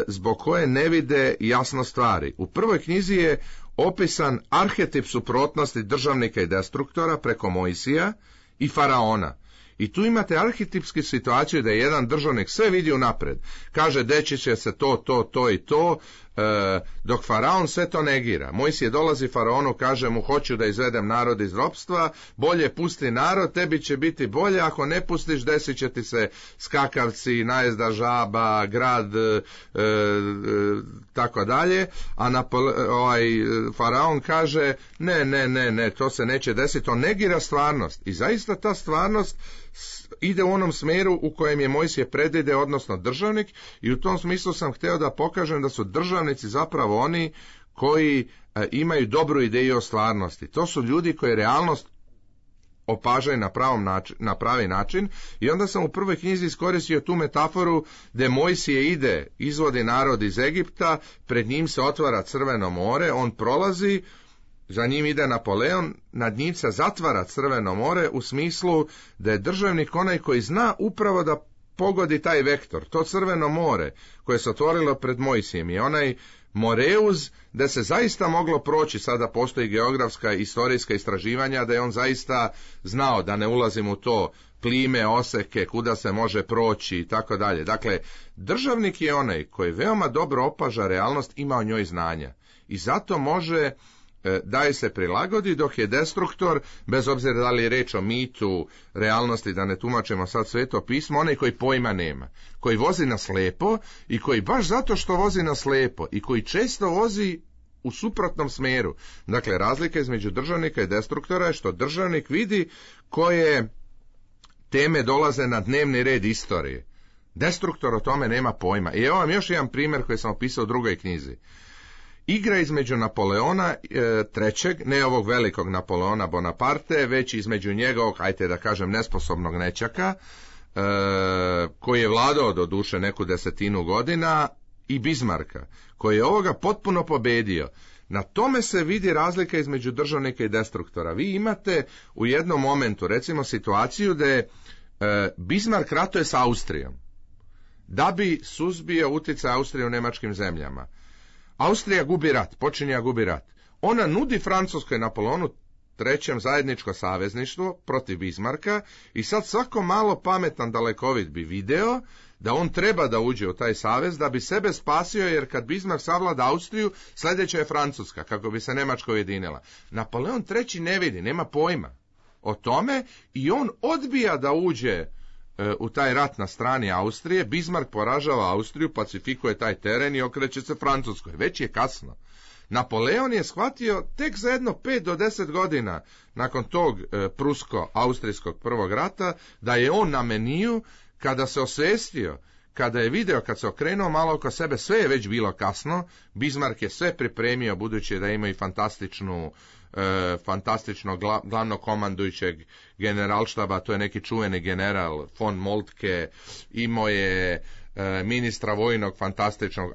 zbog koje ne vide jasno stvari. U prvoj knjizi je opisan arhetip suprotnosti državnika i destruktora preko Mojsija i Faraona. I tu imate arhetipsku situaciju da je jedan državnik sve vidi unapred. Kaže, deći će se to i to, dok Faraon sve to negira. Mojsije dolazi Faraonu, kaže mu, hoću da izvedem narod iz ropstva, bolje pusti narod, tebi će biti bolje, ako ne pustiš, desit će ti se skakavci, najezda žaba, grad, tako dalje. A Faraon kaže, ne, to se neće desiti, on negira stvarnost. I zaista ta stvarnost ide u onom smjeru u kojem je Mojsije predvide, odnosno državnik, i u tom smislu sam htio da pokažem da su državnici zapravo oni koji imaju dobru ideju o stvarnosti. To su ljudi koji realnost opažaju na pravi način, i onda sam u prvoj knjizi iskoristio tu metaforu gdje Mojsije ide, izvodi narod iz Egipta, pred njim se otvara Crveno more, on prolazi, za njim ide Napoleon, nad njim se zatvara Crveno more u smislu da je državnik onaj koji zna upravo da pogodi taj vektor, to Crveno more koje se otvorilo pred Mojsijem je onaj Moreuz da se zaista moglo proći, sada postoji geografska i istorijska istraživanja da je on zaista znao, da ne ulazim u to, plime, oseke, kuda se može proći i tako dalje. Dakle, državnik je onaj koji veoma dobro opaža realnost, ima o njoj znanja i zato može da je se prilagodi, dok je destruktor, bez obzira da li je reč o mitu, realnosti, da ne tumačimo sad Sveto pismo, onaj koji pojma nema, koji vozi na slepo i koji baš zato što vozi na slepo i koji često vozi u suprotnom smeru. Dakle, razlika između državnika i destruktora je što državnik vidi koje teme dolaze na dnevni red istorije. Destruktor o tome nema pojma. I evo vam još jedan primjer koji sam opisao u drugoj knjizi. Igra između Napoleona III, ne ovog velikog Napoleona Bonaparte, već između njegovog, ajte da kažem, nesposobnog nećaka, koji je vladao do duše neku 10 godina, i Bismarcka, koji je ovoga potpuno pobedio. Na tome se vidi razlika između državnika i destruktora. Vi imate u jednom momentu, recimo, situaciju da je Bismarck ratuje s Austrijom, da bi suzbio utjecaj Austrije u nemačkim zemljama. Austrija gubi rat, počinje gubi rat. Ona nudi Francuskoj Napoleonu III zajedničko savezništvo protiv Bismarcka i sad svako malo pametan dalekovid bi video da on treba da uđe u taj savez da bi sebe spasio, jer kad Bismarck savlada Austriju, sljedeća je Francuska, kako bi se Nemačka ujedinila. Napoleon III ne vidi, nema pojma o tome i on odbija da uđe u taj rat na strani Austrije. Bismarck poražava Austriju, pacifikuje taj teren i okreće se Francuskoj. Već je kasno. Napoleon je shvatio tek za jedno 5 do 10 godina nakon tog prusko-austrijskog prvog rata da je on na meniju, kada se osvestio, kada je video, kad se okrenuo malo oko sebe, sve je već bilo kasno. Bismarck je sve pripremio, budući da ima i fantastično glavnog komandujućeg generalštaba, to je neki čuveni general von Moltke, imao je ministra vojnog fantastičnog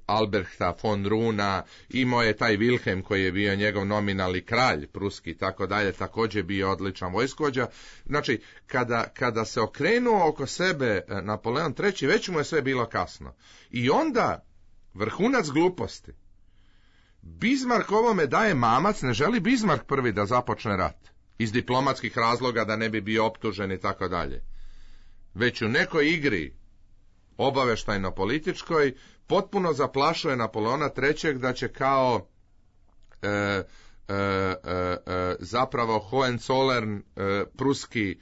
Albrechta von Runa, imao je taj Wilhelm koji je bio njegov nominalni kralj pruski, tako dalje, također bio odličan vojskovođa. Znači, kada se okrenuo oko sebe Napoleon III, već mu je sve bilo kasno. I onda, vrhunac gluposti, Bismarck ovome daje mamac, ne želi Bismarck prvi da započne rat, iz diplomatskih razloga da ne bi bio optužen i tako dalje. Već u nekoj igri obaveštajno-političkoj potpuno zaplašuje Napoleona III da će kao zapravo Hohenzollern, pruski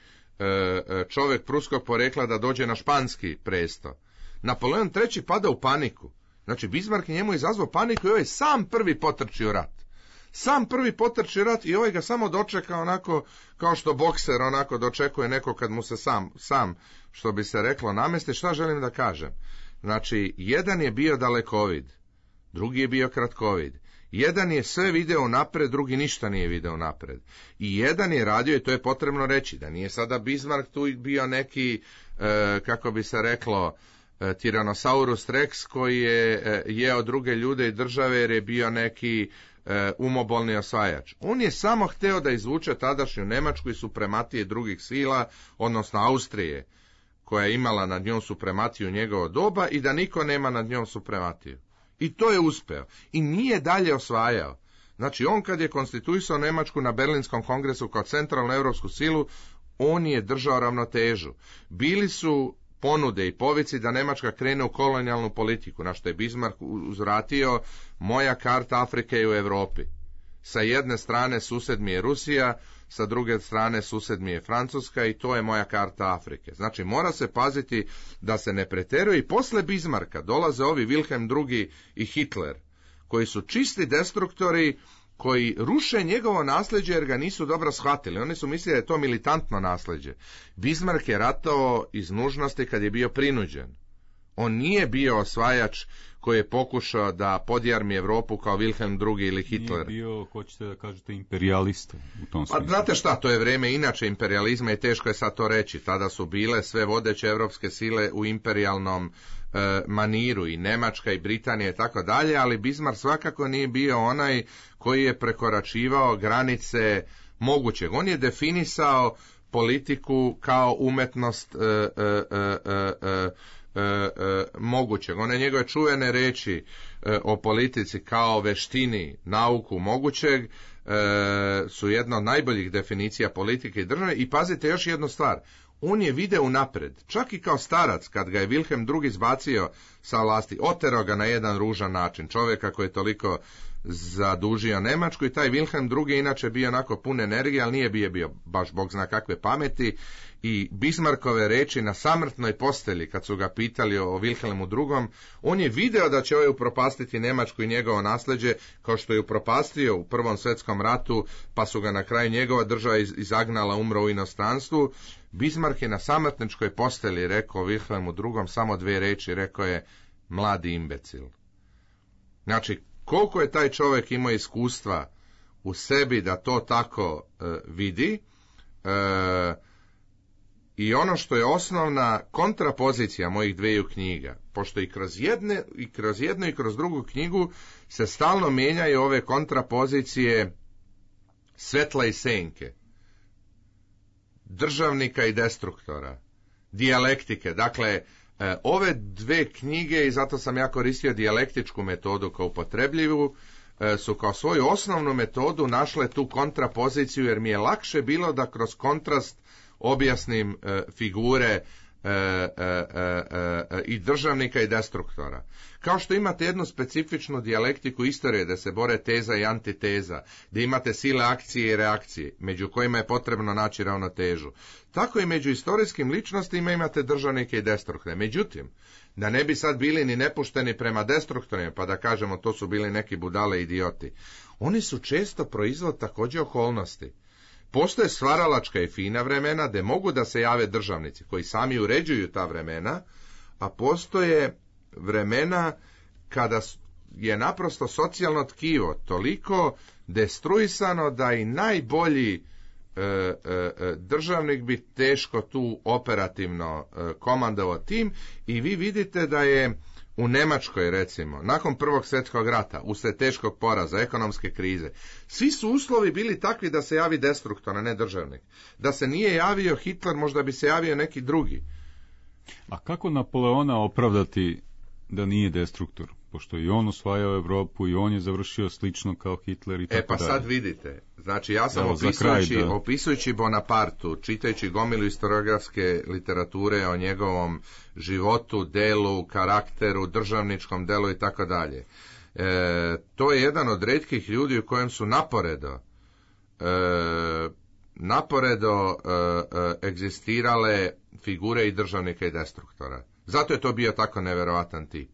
čovjek pruskog porekla, da dođe na španski presto. Napoleon III pada u paniku. Znači, Bismarck njemu izazvao paniku i ovaj sam prvi potrčio rat. Sam prvi potrči rat i ovaj ga samo dočeka onako kao što bokser onako dočekuje neko kad mu se sam što bi se reklo namesti. Šta želim da kažem? Znači, jedan je bio dalekovid, drugi je bio kratkovid. Jedan je sve video napred, drugi ništa nije video napred. I jedan je radio, i to je potrebno reći, da nije sada Bismarck tu bio neki, kako bi se reklo, Tyrannosaurus Rex koji je jeo druge ljude i države jer je bio neki umobolni osvajač. On je samo hteo da izvuče tadašnju Nemačku i suprematije drugih sila, odnosno Austrije, koja je imala nad njom suprematiju njegovo doba, i da niko nema nad njom suprematiju. I to je uspeo. I nije dalje osvajao. Znači, on kad je konstituisao Nemačku na Berlinskom kongresu kao centralnu europsku silu, on je držao ravnotežu. Bili su ponude i povici da Nemačka krene u kolonijalnu politiku, na što je Bismarck uzvratio: moja karta Afrike je u Europi. Sa jedne strane sused mi je Rusija, sa druge strane sused mi je Francuska, i to je moja karta Afrike. Znači, mora se paziti da se ne preteruje. I posle Bismarcka dolaze ovi Wilhelm II i Hitler, koji su čisti destruktori, koji ruše njegovo nasljeđe jer ga nisu dobro shvatili. Oni su mislili da je to militantno nasljeđe. Bismarck je ratovao iz nužnosti kad je bio prinuđen. On nije bio osvajač koji je pokušao da podjarmi Evropu kao Wilhelm II ili Hitler. Nije bio, hoćete da kažete, imperijalista u tom smislu. Pa znate šta, to je vreme inače imperializma i teško je sad to reći. Tada su bile sve vodeće evropske sile u imperijalnom maniru, i Nemačka i Britanija i tako dalje, ali Bismarck svakako nije bio onaj koji je prekoračivao granice mogućeg. On je definisao politiku kao umetnost mogućeg. One njegove čuvene reči o politici kao veštini, nauku mogućeg su jedna od najboljih definicija politike i države. I pazite još jednu stvar, on je video unapred, čak i kao starac, kad ga je Wilhelm II izbacio sa vlasti, oterao ga na jedan ružan način, čovjeka koji je toliko zadužio Nemačku, i taj Wilhelm II inače bio onako pun energije, ali nije bio baš bog zna kakve pameti, i Bismarckove reči na samrtnoj postelji, kad su ga pitali o Wilhelmu II, on je video da će ovaj upropastiti Nemačku i njegovo nasljeđe, kao što je upropastio u Prvom svjetskom ratu, pa su ga na kraju njegova država izagnala, umro u inostranstvu. Bismarck je na samrtničkoj postelji rekao Wilhelmu II samo dvije reči, rekao je: mladi imbecil. Znači, koliko je taj čovjek imao iskustva u sebi da to tako vidi, i ono što je osnovna kontrapozicija mojih dveju knjiga, pošto i kroz jednu i kroz drugu knjigu se stalno mijenjaju ove kontrapozicije svetla i senke, državnika i destruktora, dijalektike. Dakle, ove dve knjige, i zato sam ja koristio dijalektičku metodu kao upotrebljivu, su kao svoju osnovnu metodu našle tu kontrapoziciju, jer mi je lakše bilo da kroz kontrast objasnim figure i državnika i destruktora. Kao što imate jednu specifičnu dijalektiku istorije, da se bore teza i antiteza, da imate sile akcije i reakcije, među kojima je potrebno naći ravnotežu. Tako i među istorijskim ličnostima imate državnike i destruktore. Međutim, da ne bi sad bili ni nepušteni prema destruktorima, pa da kažemo to su bili neki budale idioti, oni su često proizvod također okolnosti. Postoje stvaralačka i fina vremena gdje mogu da se jave državnici koji sami uređuju ta vremena, a postoje vremena kada je naprosto socijalno tkivo toliko destruisano da i najbolji državnik bi teško tu operativno komandovao tim, i vi vidite da je u Njemačkoj, recimo, nakon Prvog svjetskog rata, uslijed teškog poraza, ekonomske krize, svi su uslovi bili takvi da se javi destruktor, a ne državnik. Da se nije javio Hitler, možda bi se javio neki drugi. A kako Napoleona opravdati da nije destruktor? Pošto i on osvajao Evropu i on je završio slično kao Hitler i tako dalje. Pa sad vidite, znači ja sam opisujući Bonapartu, čitajući gomilu historiografske literature o njegovom životu, delu, karakteru, državničkom delu i tako dalje. To je jedan od retkih ljudi u kojem su naporedo egzistirale figure i državnika i destruktora. Zato je to bio tako neverovatan tip,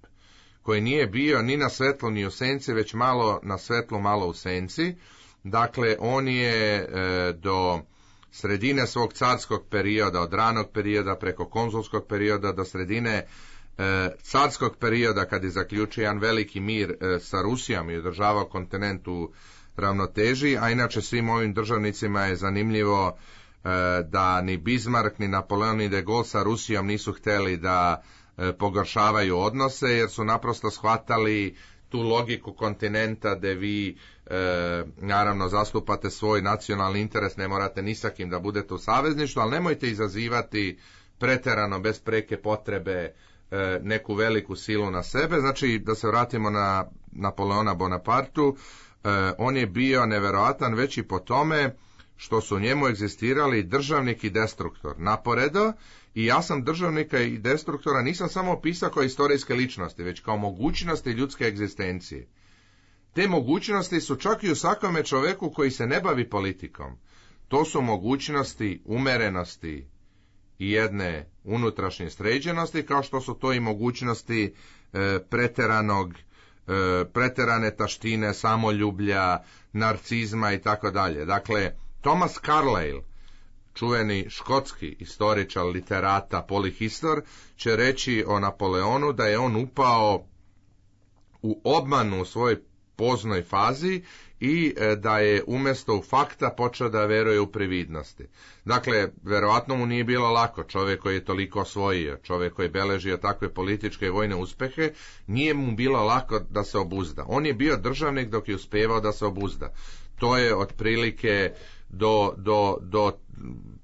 koji nije bio ni na svetlu ni u senci, već malo na svetlu, malo u senci. Dakle, on je do sredine svog carskog perioda, od ranog perioda preko konzulskog perioda do sredine carskog perioda, kad je zaključio jedan veliki mir sa Rusijom i održavao kontinent u ravnoteži, a inače svim ovim državnicima je zanimljivo da ni Bismarck, ni Napoleon, ni de Gaulle sa Rusijom nisu htjeli da pogoršavaju odnose, jer su naprosto shvatali tu logiku kontinenta gdje vi naravno zastupate svoj nacionalni interes, ne morate ni sa kim da budete u savezništvu, ali nemojte izazivati pretjerano bez preke potrebe neku veliku silu na sebe. Znači, da se vratimo na Napoleona Bonapartu, on je bio neverovatan već i po tome što su u njemu egzistirali državnik i destruktor naporedo, i ja sam državnika i destruktora nisam samo opisao kao istorijske ličnosti, već kao mogućnosti ljudske egzistencije. Te mogućnosti su čak i u svakome čovjeku koji se ne bavi politikom. To su mogućnosti umerenosti i jedne unutrašnje sređenosti, kao što su to i mogućnosti preterane taštine, samoljublja, narcizma i tako dalje. Dakle, Thomas Carlyle, čuveni škotski istoričar, literata, polihistor, će reći o Napoleonu da je on upao u obmanu u svojoj poznoj fazi i da je umjesto u fakta počeo da veruje u prividnosti. Dakle, verovatno mu nije bilo lako, čovjek koji je toliko osvojio, čovjek koji je beležio takve političke i vojne uspehe, nije mu bilo lako da se obuzda. On je bio državnik dok je uspevao da se obuzda. To je otprilike do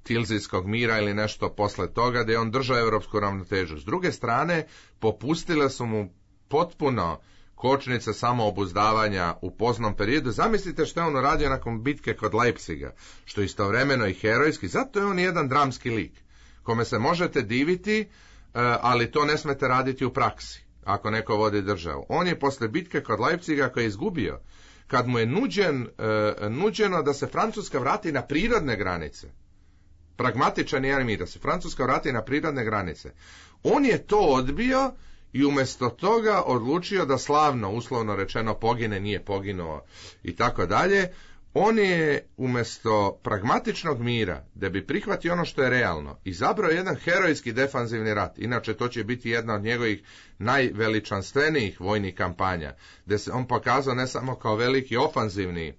Tilzijskog mira ili nešto posle toga, da je on držao europsku ravnotežu. S druge strane, popustile su mu potpuno kočnice samoobuzdavanja u poznom periodu. Zamislite što je on uradio nakon bitke kod Leipziga, što je istovremeno i herojski, zato je on jedan dramski lik, kome se možete diviti, ali to ne smete raditi u praksi, ako neko vodi državu. On je posle bitke kod Leipziga, koji je izgubio, kad mu je nuđeno da se Francuska vrati na prirodne granice, pragmatičan je mir, da se Francuska vrati na prirodne granice, on je to odbio i umjesto toga odlučio da slavno, uslovno rečeno, pogine, nije poginuo i tako dalje. On je umjesto pragmatičnog mira, da bi prihvatio ono što je realno, izabrao jedan herojski defanzivni rat. Inače, to će biti jedna od njegovih najveličanstvenijih vojnih kampanja, gdje se on pokazao ne samo kao veliki ofanzivni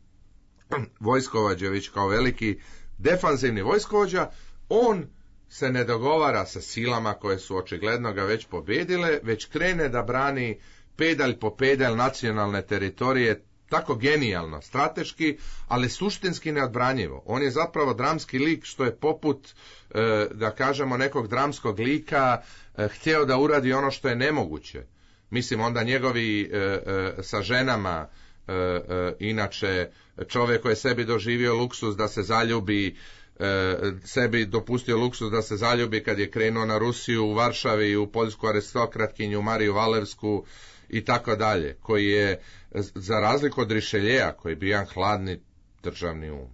vojskovođa, već kao veliki defanzivni vojskovođa. On se ne dogovara sa silama koje su očigledno ga već pobjedile, već krene da brani pedalj po pedalj nacionalne teritorije, tako genijalno, strateški, ali suštinski neodbranjivo. On je zapravo dramski lik, što je poput, da kažemo, nekog dramskog lika htio da uradi ono što je nemoguće. Mislim, onda njegovi sa ženama, inače čovjek koji je sebi doživio luksuz da se zaljubi, sebi dopustio luksuz da se zaljubi kad je krenuo na Rusiju u Varšavi, u poljsku aristokratkinju Mariju Valevsku i tako dalje, koji je, za razliku od Rišeljeja, koji je bio jedan hladni državni um,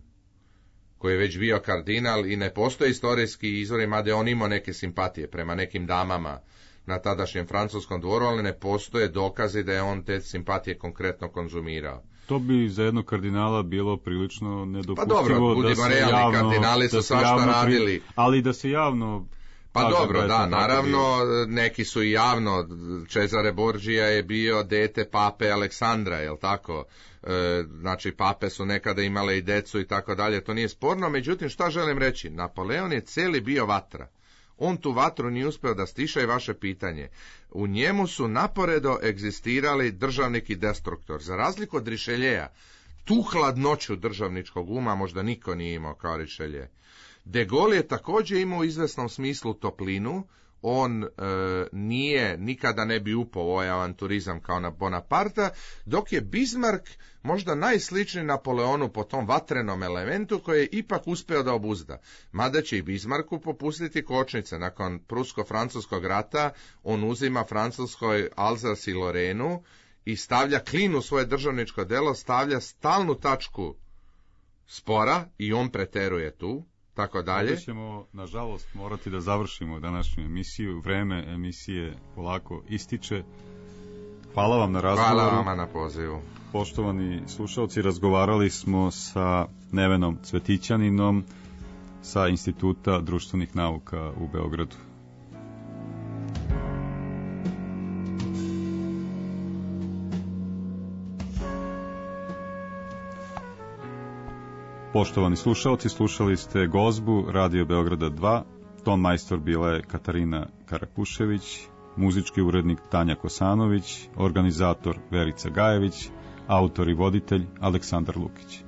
koji je već bio kardinal i ne postoje istorijski izvori, mada je on imao neke simpatije prema nekim damama na tadašnjem francuskom dvoru, ali ne postoje dokazi da je on te simpatije konkretno konzumirao. To bi za jednog kardinala bilo prilično nedopustivo. Pa dobro, budimo realni, kardinali su svašta radili. Ali da se javno... Pa dobro, da, naravno, neki su i javno, Cesare Borgia je bio dete pape Aleksandra, jel tako? Znači, pape su nekada imale i decu i tako dalje, to nije sporno, međutim, šta želim reći? Napoleon je cijeli bio vatra. On tu vatru nije uspio da stiša i vaše pitanje. U njemu su naporedo egzistirali državnik i destruktor. Za razliku od Rišeljeja, tu hladnoću državničkog uma možda niko nije imao kao Rišelje. De Gaulle je također imao u izvesnom smislu toplinu. On nikada ne bi upao u ovaj avanturizam kao na Bonaparta, dok je Bismarck možda najsličniji Napoleonu po tom vatrenom elementu koji je ipak uspio da obuzda. Mada će i Bismarcku popustiti kočnice. Nakon Prusko-francuskog rata on uzima Francuskoj Alzas i Lorenu i stavlja klin u svoje državničko delo, stavlja stalnu tačku spora i on preteruje tu. Tako dalje. Onda ćemo, nažalost, morati da završimo današnju emisiju. Vreme emisije polako ističe. Hvala vam na razgovoru. Hvala vama na pozivu. Poštovani slušalci, razgovarali smo sa Nevenom Cvetićaninom sa Instituta društvenih nauka u Beogradu. Poštovani slušalci, slušali ste Gozbu Radio Beograda 2, ton majstor bila je Katarina Karakušević, muzički urednik Tanja Kosanović, organizator Verica Gajević, autor i voditelj Aleksandar Lukić.